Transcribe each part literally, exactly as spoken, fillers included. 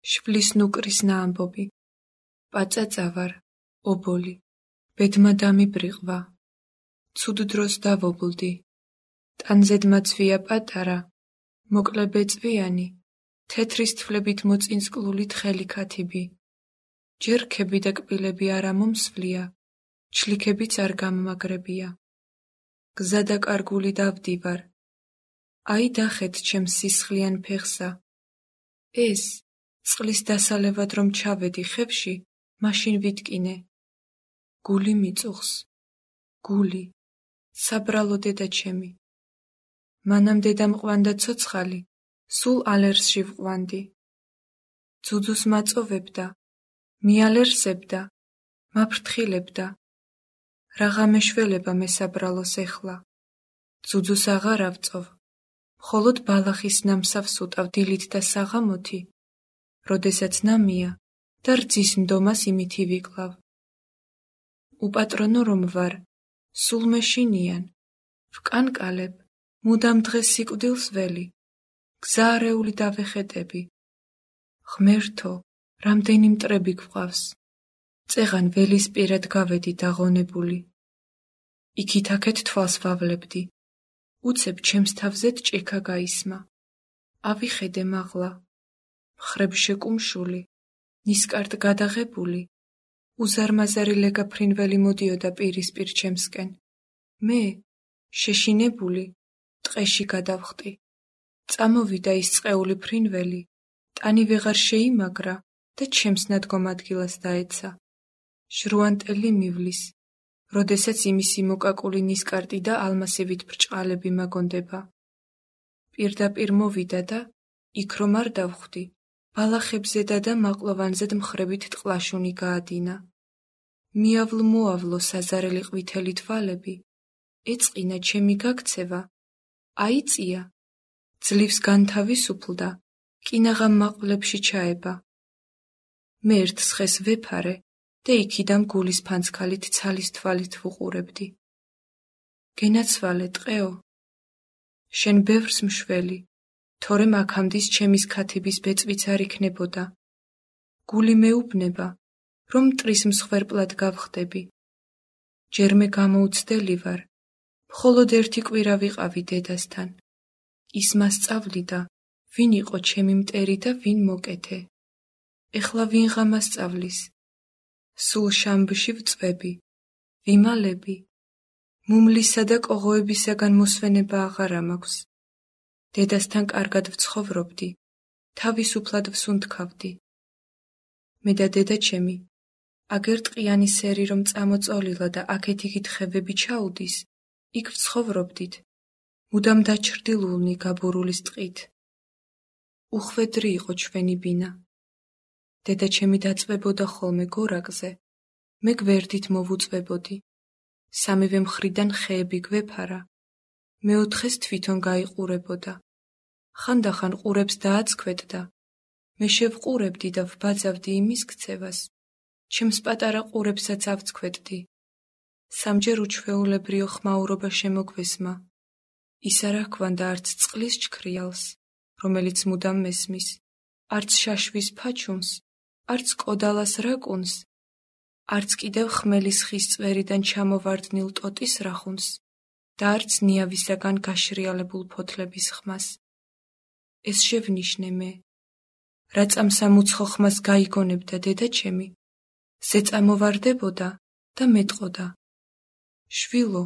შვილის ნუკრის ნაამბობი, პაწაწავარ, ობოლი, ბედმა დამიბრიყვა, ცუდ დროს დავობლდი, ტანზედმაცვია პატარა, მოკლე ბეწვიანი, თეთრის თვლებით მოწინწკლული თხელი ქათიბი, ჯერქები და კბილები არა მომსვლია, ჩლიქებიც არ გამმაგრებია. გზა და კარგული დავდივარ, აი დახეთ ჩემს სისხლიან ფეხსა. ეს, წყლის დასალევად რომ ჩავედი ხევში, მაშინ ვიტკინე. გული მიწუხს, გული, საბრალო დედა ჩემი. მანამ დედამ ყვანდა ცოცხალი, სულ ალერსში ვყვანდი. ძუძუს მაწოვებდა, მიალერსებდა, მაფრთხილებდა. რაღა მეშველება მესაბრალოს ეხლა. ძუძუს აღარ ავწოვ, მხოლოდ ბალახის ნამსავს უტავ დილით და საღამოთი, როდესაც ნამია და რძის ნდომას იმითი ვიკლავ. უპატრონო რომ ვარ, სულ მეშინიან, ვკანკალებ, მუდამ დღეს სიკვდილს ველი, გზა არეული დავეხეტები. ღმერთო, რამდენი მტრები გვყავს, წეღან ველის პირად გავედი დაღონებული. იქით-აქეთ თვალს ვავლებდი, უცებ ჩემს თავზედ ჭიქა გაისმა. ავიხედე მაღლა, მხრებ შეკუმშული, ნისკარტ გადაღებული, უზარმაზარი ლეგა ფრინველი მოდიოდა პირისპირ ჩემსკენ. მე, შეშინებული, ტყეში გადავხტი. წამოვიდა ის წყეული ფრინველი, ტანი ვეღარ შეიმაგრა და ჩემს ნადგომ ადგილას დაეცა. შრუანტელი მივლის, როდესაც იმისი მოკაკული ნისკარტი და ალმასივით ბრჭყალები მაგონდება. პირდაპირ მოვიდა და, იქ რომ არ დავხვდი, ბალახებზედა და მაყლოვანზედ მხრებით ტყლაშუნი გაადინა. მიავლ-მოავლო საზარელი ყვითელი თვალები, ეწყინა ჩემი გაქცევა, აიწია, ძლივს განთავისუფლდა, კინაღამ მაყვლებში ჩაება. მე ერთ სხეს ვეფარე და იქიდან გულის ფანცქალით ცალის თვალით ვუყურებდი. გენაცვალე ტყეო, შენ ბევრს მშველი, თორემ აქამდის ჩემის ქათიბის ბეწვიც არ იქნებოდა. გული მეუბნება, რომ მტრის მსხვერპლად გავხდები. ჯერ მე გამოუცდელი ვარ, მხოლოდ ერთი კვირა ვიყავი დედასთან. ის მასწავლიდა, ვინ იყო ჩემი მტერი და ვინ მოკეთე. ეხლა ვინღა მასწავლის. სულ შამბში ვწვები, ვიმალები. მუმლისა და კოღოებისაგან მოსვენება აღარა მაქვს. დედასთან კარგად ვცხოვრობდი, თავისუფლად ვსუნთქავდი. მე და დედა ჩემი, აგერ ტყიანი სერი რომ წამოწოლილა და აქეთ-იქით ხევები ჩაუდის, იქ ვცხოვრობდით, მუდამ დაჩრდილულნი გაბურულის ტყით. უხვედრი იყო ჩვენი ბინა. დედა ჩემი დაწვებოდა ხოლმე გორაკზე, მე გვერდით მოვუწვებოდი. სამივე მხრიდან ხეები გვეფარა, მეოთხეს თვითონ გაიყურებოდა. ხანდახან ყურებს დააცქვეტდა, მე შევყურებდი და ვბაძავდი იმის ქცევას, ჩემს პატარა ყურებსაც ავცქვეტდი. სამჯერ უჩვეულებრივ ხმაურობა შემოგვესმა. ის არ აქვანდა არც წყლის ჩქრიალს, რომელიც მუდამ მესმის, არც შაშვის ფაჩუმს, არც კოდალას რაკუნს, არც კიდევ ხმელის ხის წვერიდან ჩამოვარდნილ ტოტის რახუნს და არც ნიავისაგან გაშრიალებულ ფოთლების ხმას. ეს შევნიშნე მე, რა წამსამუცხო ხმას გაიგონებდა დედა ჩემი, ზეწამოვარდებოდა და მეტყოდა. შვილო,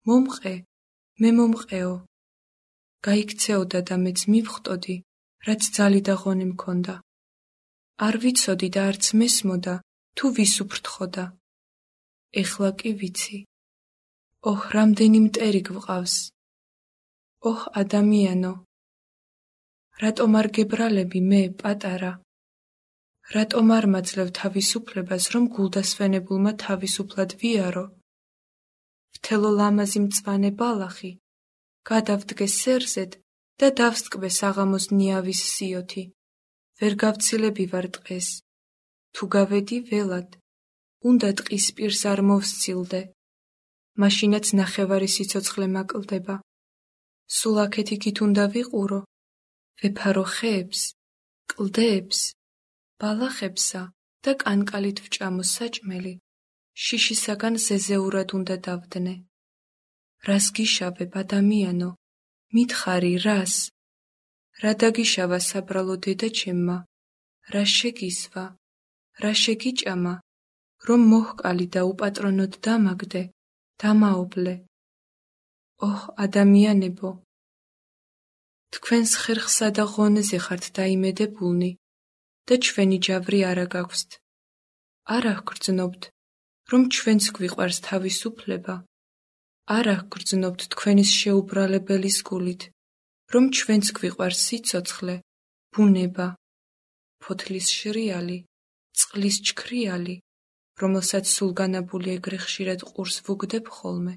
მომყე, მე მომყეო. გაიქცეოდა და მეც მივხტოდი, რაც ძალი და ღონე მქონდა. არ ვიცოდი და არც მესმოდა, თუ ვის უფრთხოდა. ეხლა კი ვიცი. ოჰ, რამდენი მტერი გვყავს. ოჰ, ადამიანო. რატომ არ გებრალები მე, პატარა? რატომ არ მაძლევ თავისუფლებას, რომ გულდასვენებულმა თავისუფლად ვიარო? მთელო ლამაზი მწვანე ბალახი, გადავდგე სერზედ და დავსტკბე საღამოს ნიავის სიოთი. ვერ გავცილები ვარ ტყეს. თუ გავედი ველად, უნდა ტყის პირს არ მოვსცილდე. მაშინაც ნახევარი სიცოცხლე მაკლდება. სულ აქეთ-იქით უნდა ვიყურო, ვეფარო ხეებს, კლდეებს, ბალახებსა და კანკალით ვჭამოს საჭმელი, შიშისაგან ზეზეურად უნდა დავდნე. რას გიშავებ, ადამიანო, მითხარი, რას? რა დაგიშავა საბრალო დედა ჩემმა? რა შეგისვა? რა შეგიჭამა? რომ მოჰკალი და უპატრონოდ დამაგდე, დამაობლე. ოჰ, ადამიანებო, თქვენს ხერხსა და ღონეზე ხართ დაიმედებულნი და ჩვენი ჯავრი არა გაგვსთ. არ აღგრძნობთ, რომ ჩვენც გვიყვარს თავისუფლება. არ აღგრძნობთ თქვენის შეუბრალებელი სგულით, რომ ჩვენც გვიყვარს სიცოცხლე, ბუნება, ფოთლის შრიალი, წყლის ჩქრიალი, რომელსაც სულგანაბული ეგრე ხშირად ყურს ვუგდებ ხოლმე,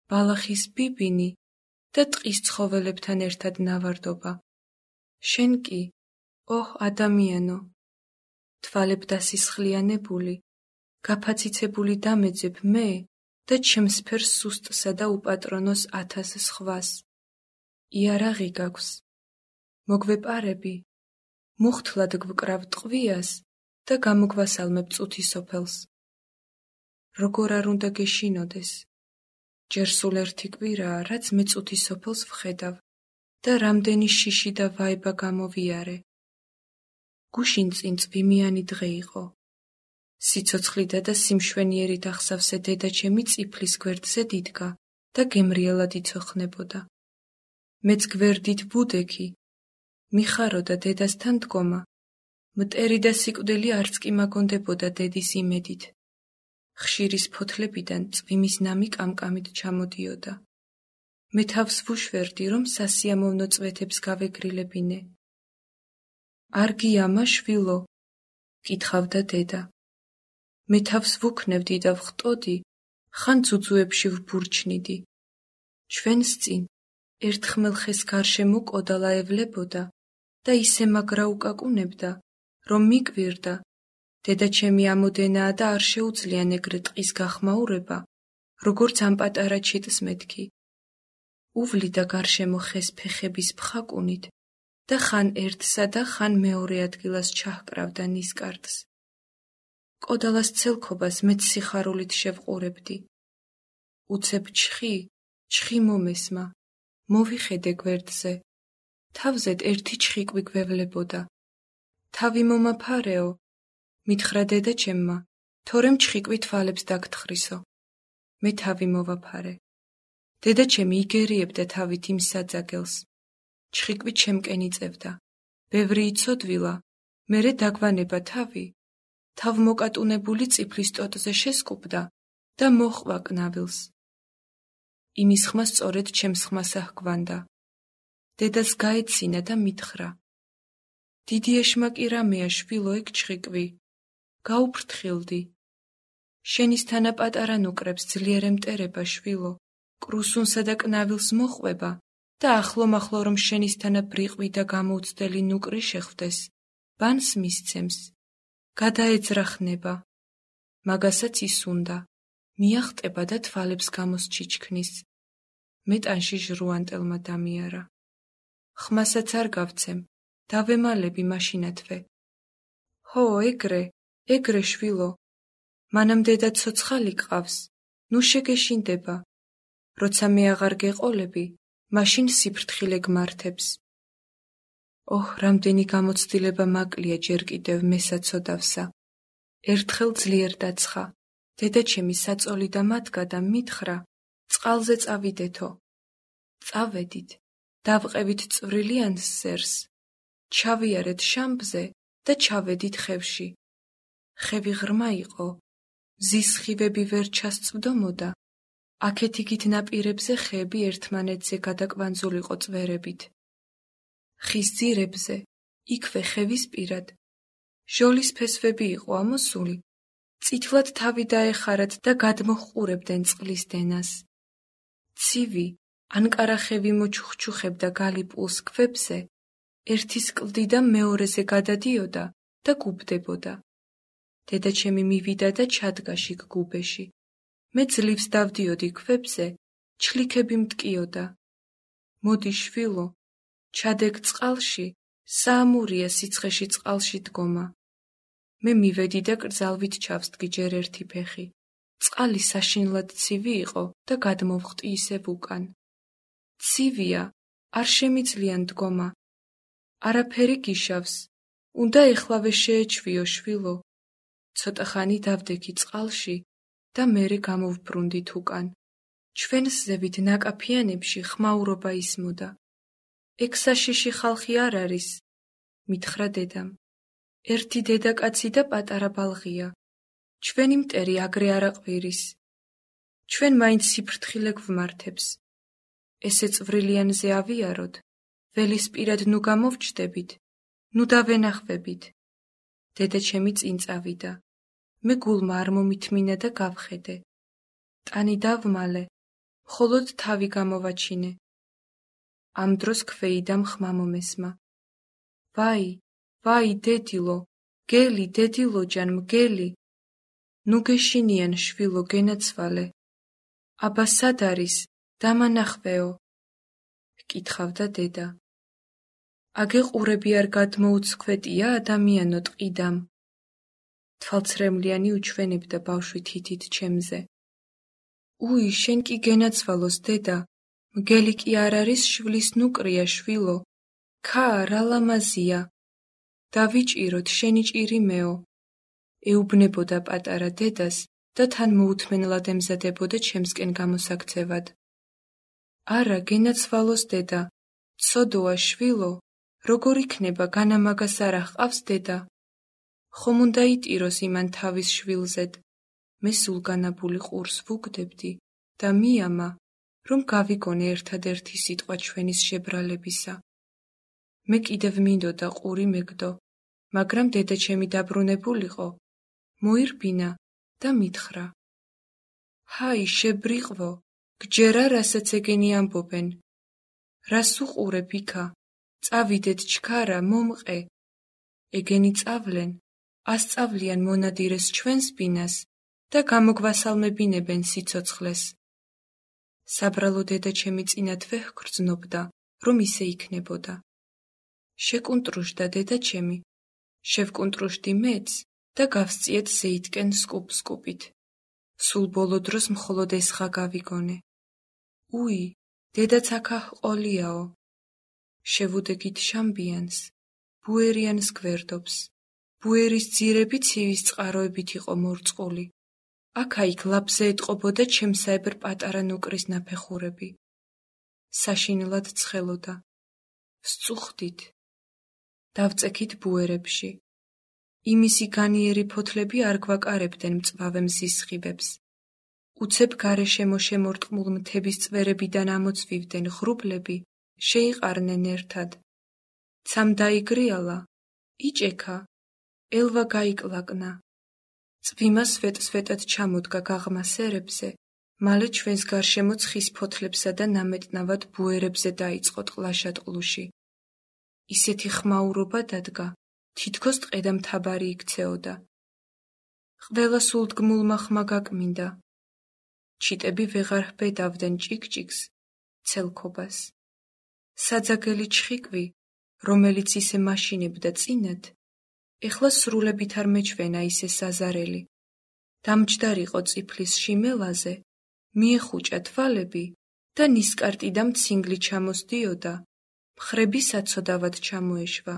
ბალახის ბიბინი და ტყის ცხოველებთან ერთად ნავარდობა. შენ კი, ოჰ, ადამიანო, თვალებ დასისხლიანებული, გაფაციცებული დამეძებ მე და ჩემს ფერს სუსტსა და უპატრონოს ათას სხვას. იარაღი გაქვს, მოგვეპარები, მუხთლად გვკრავ ტყვიას და გამოგვასალმებ წუთი სოფელს. როგორ არ უნდა გეშინოდეს, ჯერ სულ ერთი კვირაა, რაც მე წუთი სოფელს ვხედავ და რამდენი შიში და ვაება გამოვიარე. გუშინ წინ წვიმიანი დღე იყო. სიცოცხლიდა და სიმშვენიერით ახსავსე დედა ჩემი წიფლის გვერდზე დიდგა და გემრიელად იცოხნებოდა. მეც გვერდით ვუდექი, მიხაროდა დედასთან დგომა, მტერი და სიკვდილი არც კი მაგონდებოდა დედის იმედით. ხშირის ფოთლებიდან წვიმის ნამი კამკამით ჩამოდიოდა. მე თავს ვუშვერდი, რომ სასიამოვნო წვეთებს გავეგრილებინე. არ გიამა, შვილო? კითხავდა დედა. მე თავს ვუქნევდი და ვხტოდი, ხან ძუძუებში ვბურჩნიდი. ჩვენს წინ ერთხმელ ხეს გარშემო კოდალა ევლებოდა და ისე მაგრა უკაკუნებდა, რომ მიკვირდა, დედა ჩემი ამოდენაა და არ შეუძლიან ეგრე ტყის გახმაურება, როგორც ამ პატარა ჩიტს მეთქი. უვლიდა გარშემო ხეს ფეხების ფხაკუნით და ხან ერთსა და ხან მეორე ადგილას ჩაჰკრავდა ნისკარტს. კოდალას ცელქობას მეც სიხარულით შევყურებდი. უცებ ჩხი, ჩხი მომესმა, მოვიხედე გვერდზე. თავზედ ერთი ჩხიკვი გვევლებოდა. თავი მომაფარეო, მითხრა დედა ჩემმა, თორემ ჩხიკვი თვალებს დაგთხრისო. მე თავი მოვაფარე. დედა ჩემი იგერიებდა თავით იმ საძაგელს. ჩხიკვი ჩემკენ იწევდა. ბევრი იცოდვილა, მერე დაგვანება თავი. თავმოკატუნებული წიფლის ტოტზე შესკუპდა და მოჰყვა კნავილს. იმის ხმა სწორედ ჩემს ხმას აჰგვანდა. დედას გაეცინა და მითხრა. დიდი ეშმაკი რამეა, შვილო, ეგ ჩხიკვი. გაუფრთხილდი. შენის თანა პატარა ნუკრებს ძლიერ ემტერება, შვილო, კრუსუნსა და კნავილს მოჰყვება და ახლო-მახლო რომ შენის თანა ბრიყვი და გამოუცდელი ნუკრი შეხვდეს, ბანს მისცემს. გადაეძრახნება. მაგასაც ისუნდა, მიახტება და თვალებს გამოსჩიჩქნის. მე ტანში ჟრუანტელმა დამიარა. ხმასაც არ გავცემ, დავემალები მაშინათვე. ჰო, ეგრე, ეგრე, შვილო, მანამ დედა ცოცხალი გყავს, ნუ შეგეშინდება. როცა მე აღარ გეყოლები, მაშინ სიფრთხილე გმართებს. ოჰ, რამდენი გამოცდილება მაკლია ჯერ კიდევ მესაცოდავსა. ერთხელ ძლიერ დაცხა. დედა ჩემი საწოლი და მათგა და მითხრა, წყალზე წავიდეთო. წავედით, დავყევით წვრილიან სერს, ჩავიარეთ შამბზე და ჩავედით ხევში. ხევი ღრმა იყო, მზის სხივები ვერ ჩასწვდომოდა, აქეთ იქით ნაპირებზე ხეები ერთმანეთზე გადაკვანძულიყო წვერებით. ხის ძირებზე, იქვე ხევის პირად, ჟოლის ფესვები იყო ამოსული, წითლად თავი დაეხარათ და გადმოჰყურებდნენ წყლის დენას. ცივი, ანკარა ხევი მოჩუხჩუხებდა გალიპულს ქვებზე, ერთის კლდიდან მეორეზე გადადიოდა და გუბდებოდა. დედა ჩემი მივიდა და ჩადგა შიგ გუბეში. მე ძლივს დავდიოდი ქვებზე, ჩლიქები მტკიოდა. მოდი, შვილო, ჩადეგ წყალში, საამურია სიცხეში წყალში დგომა. მე მივედი და კრძალვით ჩავსდგი ჯერ ერთი ფეხი. წყალი საშინლად ცივი იყო და გადმოვხტი ისევ უკან. ცივია, არ შემიძლია მდგომა. არაფერი გიშავს. უნდა ეხლავე შეეჩვიო შვილო. ცოტა ხანი დავდექი წყალში და მერე გამოვბრუნდით უკან. ჩვენს ზევით ნაკაფიანებში ხმაურობა ისმოდა. ეგ საშიში ხალხი არ არის, მითხრა დედამ. ერთი დედაკაცი და პატარა ბალღია. ჩვენი მტერი აგრე არ აყვირის. ჩვენ მაინც სიფრთხილე გვმართებს. ესე წვრილიანზე ავიაროთ, ველისპირად ნუ გამოვჩდებით, ნუ დავენახვებით. დედა ჩემი წინ წავიდა. მე გულმა არ მომითმინა და გავხედე. ტანი დავმალე, მხოლოდ თავი გამოვაჩინე. ამ დროს ქვეიდამ ხმა მომესმა. ვაი, ვაი, დედილო, გელი, დედილოჯან, მგელი. ნუ გეშინიან შვილო, გენაცვალე. აბა სად არის? დამანახვეო. ჰკითხავდა დედა. აგეყურები არ გადმოუცქვეტია ადამიანო ტყიდამ. თვალცრემლიანი უჩვენებდა ბავშვი თითით ჩემზე. უი, შენ კი გენაცვალოს დედა, მგელი კი არ არის შვილის ნუკრია შვილო. ქა, რა ლამაზია. დავიჭიროთ, შენი ჭირი მეო. ეუბნებოდა პატარა დედას და თან მოუთმენლად ემზადებოდა ჩემსკენ გამოსაქცევად. არა, გენაცვალოს დედა, ცოდოა შვილო, როგორ იქნება, განამაგას არ აჰყავს დედა. ხომ უნდა იტიროს იმან თავის შვილზედ. მე სულგანაბული ყურს ვუგდებდი და მიამა, რომ გავიგონე ერთადერთი სიტყვა ჩვენის შებრალებისა. მე კიდევ მინდოდა ყური მეგდო, მაგრამ დედა ჩემი დაბრუნებულიყო. მოირბინა და მითხრა. ჰაი, შებრიყვო, გჯერა რასაც ეგენი ამბობენ. რას უყურებ იქა? წავიდეთ ჩქარა, მომყე. ეგენი წავლენ, ასწავლიან მონადირეს ჩვენს ბინას და გამოგვასალმებინებენ სიცოცხლეს. საბრალო დედა ჩემი წინათ ვეჰგრძნობდა, რომ ისე იქნებოდა. შეკუნტრუშდა დედა ჩემი, შევკუნტრუშდი მეც და გავსწიეთ ზეითკენ სკუპ-სკუპით. სულ ბოლო დროს მხოლოდ ესღა გავიგონე. უი, დედაც აქა ჰყოლიაო. შევუდექით შამბიანს, ბუერიანს გვერდობს. ბუერის ძირები ცივის წყაროებით იყო მორწყული. აქა-იქ ლაპზე ეტყობოდა ჩემსაებრ პატარა ნუკრის ნაფეხურები. საშინლად ცხელოდა. ვსწუხდით. დავწექით ბუერებში. იმისი განიერი ფოთლები არ გვაკარებდნენ მწვავე მზის სხივებს. უცებ გარეშემო შემორტყმულ მთების წვერებიდან ამოწვივდნენ ღრუბლები, შეიყარნენ ერთად. ცამ დაიგრიალა, იჭექა, ელვა გაიკლაკნა. წვიმა სვეტ-სვეტად ჩამოდგა გაღმა სერებზე, მალე ჩვენს გარშემო ცხის ფოთლებსა და ნამეტნავად ბუერებზე დაიწყო ტყლაშატყლუში. ისეთი ხმაურობა დადგა, თითქოს ტყედამთაბარი იქცეოდა. ყველა სულდგმულმა ხმა გაკმინდა. ჩიტები ვეღარ ჰბედავდნენ ჭიკ-ჭიკს, ცელქობას. საძაგელი ჩხიკვი, რომელიც ისე მაშინებდა წინათ, ეხლა სრულებით არ მეჩვენა ისე საზარელი. დამჯდარიყო წიფლის შიმელაზე, მიეხუჭა თვალები და ნისკარტი და მცინგლი ჩამოსდიოდა, მხრები საცოდავად ჩამოეშვა.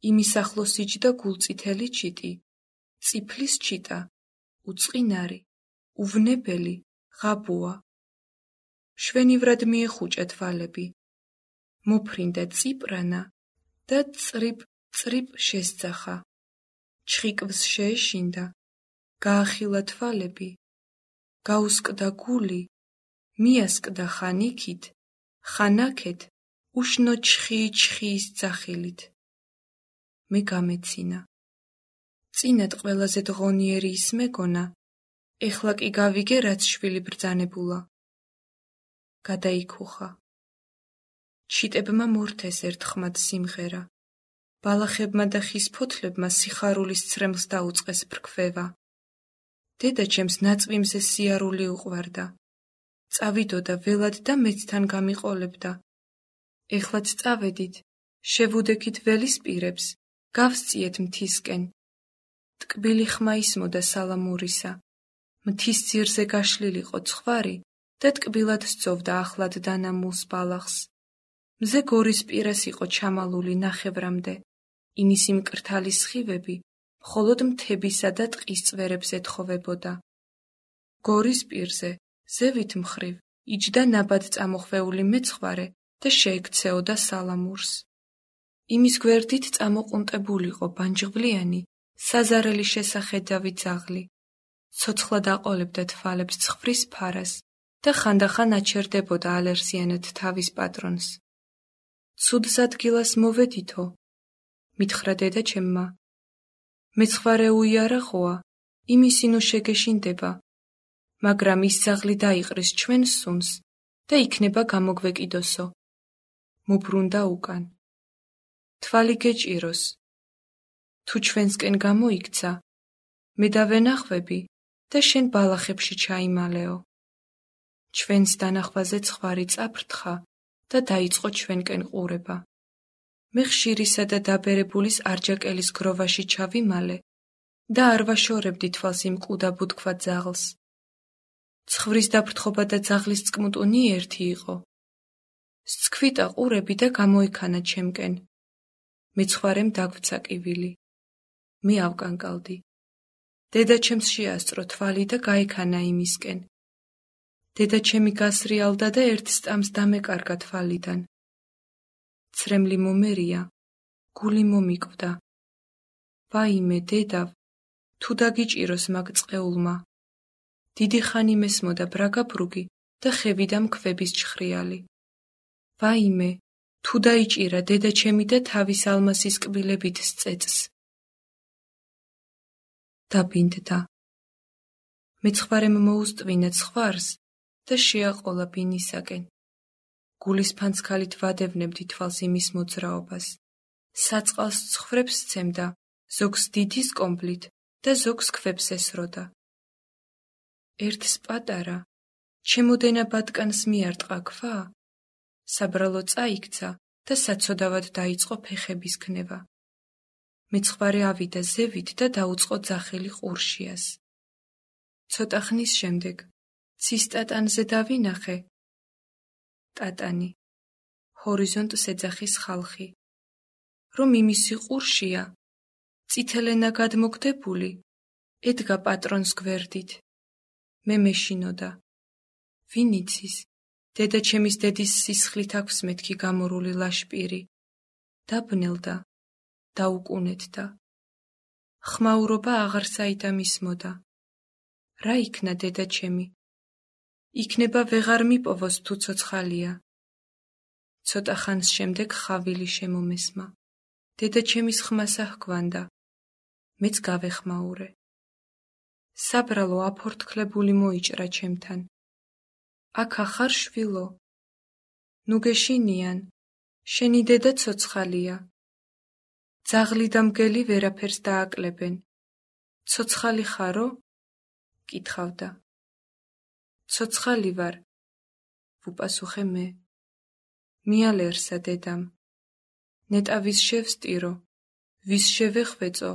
იმის ახლოს იჯდა გულწითელი ჩიტი, წიფლის ჩიტა, უწყინარი, უვნებელი, ღაბუა. შვენივრად მიეხუჭა თვალები. მოფრინდა წიპრანა და წრიპ-წრიპ შესძახა. ჩხიკვს შეეშინდა, გაახილა თვალები, გაუსკდა გული, მიასკდა ხან იქით, ხან აქეთ, უშნო ჩხი-ჩხიის ძახილით. მე გამეცინა. წინათ ყველაზე დღონიერი ის მეგონა, ეხლა კი გავიგე, რაც შვილი ბრძანებულა. გადაიქუხა. ჩიტებმა მორთეს ერთხმად სიმღერა. ბალახებმა და ხის ფოთლებმა სიხარულის ცრემლს დაუწყეს ფრქვევა. დედა ჩემს ნაწვიმზე სიარული უყვარდა. წავიდოდა ველად და მეც თან გამიყოლებდა. ეხლაც წავედით, შევუდექით ველის პირებს, გავსწიეთ მთისკენ. ტკბილი ხმა ისმოდა სალამურისა. მთის ძირზე გაშლილიყო ცხვარი და ტკბილად სწოვდა ახლად დანამულს ბალახს. მზე გორის პირას იყო ჩამალული ნახევრამდე. იმისი მკრთალი სხივები მხოლოდ მთებისა და ტყის წვერებს ეთხოვებოდა. გორის პირზე, ზევით მხრივ, იჯდა ნაბად წამოხვეული მეცხვარე და შეექცეოდა სალამურს. იმის გვერდით წამოყუნტებულიყო ბანჯღვლიანი, საზარელი შესახედავი ძაღლი. ცოცხლად აყოლებდა თვალებს ცხვრის ფარას და ხანდახან აჩერდებოდა ალერსიანად თავის პატრონს. ცუდს ადგილას მოვედითო, მითხრა დედა ჩემმა. მეცხვარე უიარაღოა, იმისი ნუ შეგეშინდება, მაგრამ ის ძაღლი დაიყრის ჩვენ სუნს და იქნება გამოგვეკიდოსო. მუბრუნდა უკან. თვალი გეჭიროს. თუ ჩვენსკენ გამოიქცა, მე დავენახვები და შენ ბალახებში ჩაიმალეო. ჩვენს დანახვაზე ცხვარი წაფრთხა და დაიწყო ჩვენკენ ყურება. მე ხშირისა და დაბერებულის არჯაკელის გროვაში ჩავიმალე და არ ვაშორებდი თვალს იმ კუდა ბუდგვა ძაღლს. ცხვრის დაფრთხობა და ძაღლის წკმუტუნი ერთი იყო. სცქვიტა ყურები და გამოიქანა ჩემკენ. მეცხვარემ დაგვცა კივილი. მე ავკანკალდი. დედა ჩემს შეასწრო თვალი და გაიქანა იმისკენ. დედა ჩემი გასრიალდა და ერთ სტამს დამეკარგა თვალიდან. ცრემლი მომერია, გული მომიკვდა. ვაიმე, დედავ, თუ დაგიჭიროს მაგ წყეულმა. დიდი ხანი მესმოდა ბრაგაბრუგი და ხევიდან ქვების ჩხრიალი. ვაიმე, თუ დაიჭირა დედა ჩემი და თავის ალმასის კბილებით სწეწს. დაბინდდა. მეცხვარემ მოუსტვინა ცხვარს და შეაყოლა ბინისაკენ. გულის ფანცქალით ვადევნებდი თვალს იმის მოძრაობას. საწყალს ცხრებს სცემდა, ზოგს დიდის კომბლით და ზოგს ქვებს ესროდა. ერთს პატარა, ჩემოდენა ბატკანს მიარტყა ქვა, საბრალო წაიქცა და საცოდავად დაიწყო ფეხების ქნება. მეცხვარე ავიდა ზევით და დაუწყო ძახილი ყურშიას. ცოტა ხნის შემდეგ ცის ტატანზე დავინახე. ტატანი, ჰორიზონტს ეძახის ხალხი. რომ იმისი ყურშია, წითელენა გადმოგდებული, ედგა პატრონს გვერდით. მე მეშინოდა. ვინ იცის, დედა ჩემის დედის სისხლით აქვს მეთქი გამორული ლაშპირი. დაბნელდა, დაუკუნეთდა. ხმაურობა აღარ საიდან ისმოდა. რა იქნა დედა ჩემი? იქნება ვეღარ მიპოვოს თუ ცოცხალია. ცოტა ხანს შემდეგ ხავილი შემომესმა. დედა ჩემის ხმას აჰგვანდა. მეც გავეხმაურე. საბრალო აფორთქლებული მოიჭრა ჩემთან. აქ ახარ შვილო. ნუ გეშინიან, შენი დედა ცოცხალია. ძაღლი და მგელი ვერაფერს დააკლებენ. ცოცხალი ხარო? კითხავდა. ცოცხალი ვარ, ვუპასუხე მე. მიალერსა დედამ. ნეტა ვის შევსტირო, ვის შევეხვეწო,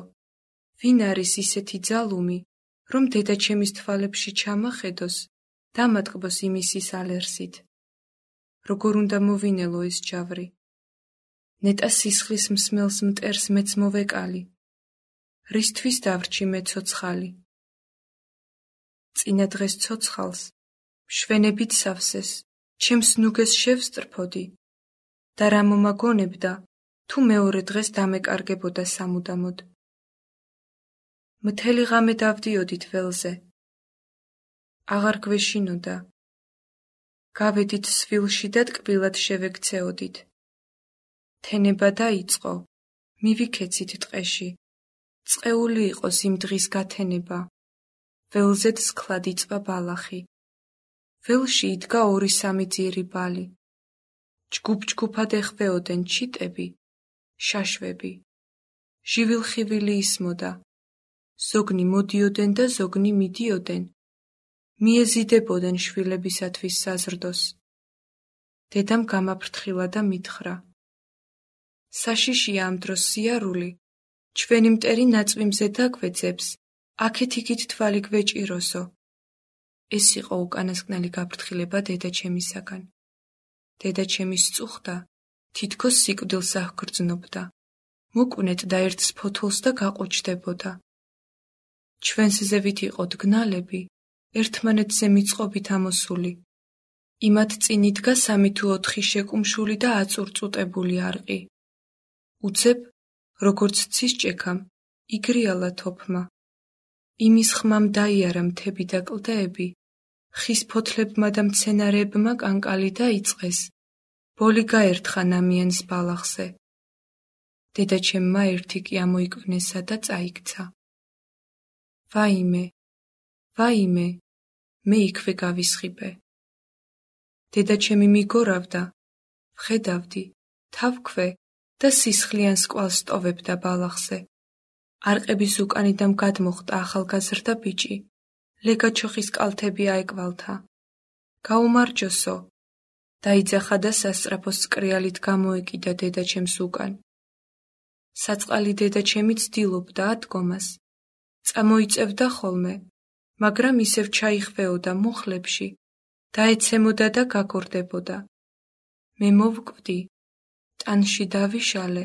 ვინ არის ისეთი ძალუმი, რომ დედა ჩემის თვალებში ჩამახედოს, დამატკბოს იმისის ალერსით. როგორ უნდა მოვინელო ეს ჯავრი? ნეტა სისხლის მსმელს მტერს მეც მოვეკალი. რისთვის დავრჩი მე ცოცხალი? წინა დღეს ცოცხალს, მშვენებით სავსეს, ჩემს ნუგეს შევსტრფოდი და რა მომაგონებდა, თუ მეორე დღეს დამეკარგებოდა სამუდამოდ. მთელი ღამე დავდიოდით ველზე. აღარ გვეშინოდა. გავედით სვილში და ტკბილად შევექცეოდით. თენება დაიწყო, მივიქეცით ტყეში. წყეული იყოს იმ დღის გათენება. ველზედ სქლად იწვა ბალახი. ველში იდგა ორი სამი ძირი ბალი. ჯგუფ-ჯგუფად ეხვეოდნენ ჩიტები, შაშვები. ჟივილხივილი ისმოდა. ზოგნი მოდიოდნენ და ზოგნი მიდიოდნენ. მიეზიდებოდნენ შვილებისათვის საზრდოს. დედამ გამაფრთხილა და მითხრა. საშიშია ამ დროს სიარული, ჩვენი მტერი ნაწვი მზე დაგვეძებს, აქეთ იქით თვალი გვეჭიროსო. ეს იყო უკანასკნელი გაფრთხილება დედაჩემისაგან. დედაჩემი სწუხდა, თითქოს სიკვდილს აღგრძნობდა. მოკვნეთ და ერთს ფოთოლს და გაყუჩდებოდა. ჩვენს ზევით იყო დგნალები, ერთმანეთზე მიწყობით ამოსული. იმათ წინ იდგა სამი თუ ოთხი შეკუმშული და აწურწუტებული არყი. უცებ, როგორც ცის ჭექამ, იგრიალა თოფმა. იმის ხმამ დაიარა მთები და კლდეები, ხის ფოთლებმა და მცენარეებმა კანკალი დაიწყეს, ბოლი გაერთხა ნამიანს ბალახზე. დედაჩემმა ერთი კი ამოიკვნესა და წაიქცა. ვაიმე, ვაიმე, მე იქვე გავისხიბე. დედაჩემი მიგორავდა, ვხედავდი, თავქვე და სისხლიან სკვალს ტოვებდა ბალახზე. არყების უკანიდან გადმოხტა ახალგაზრდა ბიჭი, ლეგაჩოხის კალთები აეკვალთა. გაუმარჯოსო, დაიძახა და სასწრაფო სკრიალით გამოეკიდა დედაჩემს უკან. საწყალი დედაჩემი ცდილობდა ადგომას, წამოიწევდა ხოლმე, მაგრამ ისევ ჩაიხვეოდა მუხლებში, დაეცემოდა და გაგორდებოდა. მე მოვკვდი, ტანში დავიშალე,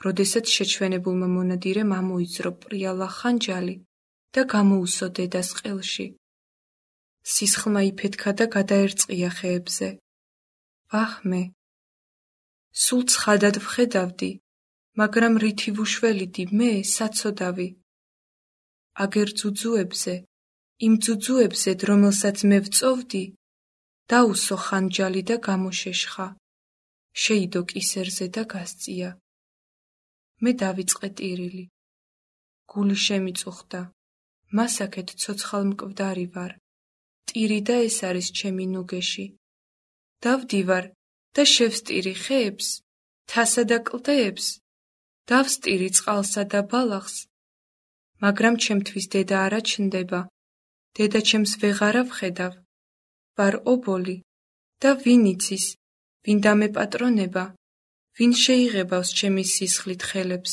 როდესაც შეჩვენებულმა მონადირემ ამოიძრო პრიალა ხანჯალი და გამოუსო დედას ყელში. სისხლმა იფეთქა და გადაერწყია ხეებზე. ვახმე! სულ ცხადად ვხედავდი, მაგრამ რითი ვუშველიდი მე საცოდავი. აგერ ძუძუებზე, იმ ძუძუებზე, რომელსაც მე ვწოვდი, დაუსო ხანჯალი და გამოშეშხა. შეიდო კისერზე და გასწია. მე დავიწყე ტირილი. გული შემიწუხდა. მასაკეთ ცოცხალ მკვდარი ვარ. ტირი და ეს არის ჩემი ნუგეში. დავდივარ და შევსტირი ხეებს, თასა და კლდეებს. დავსტირი წყალსა და ბალახს. მაგრამ ჩემთვის დედა არა ჩნდება. დედაჩემს ვეღარა ვხედავ. ვარ ობოლი და ვინ იცის, ვინ დამეპატრონება, ვინ შეიღებავს ჩემი სისხლით ხელებს.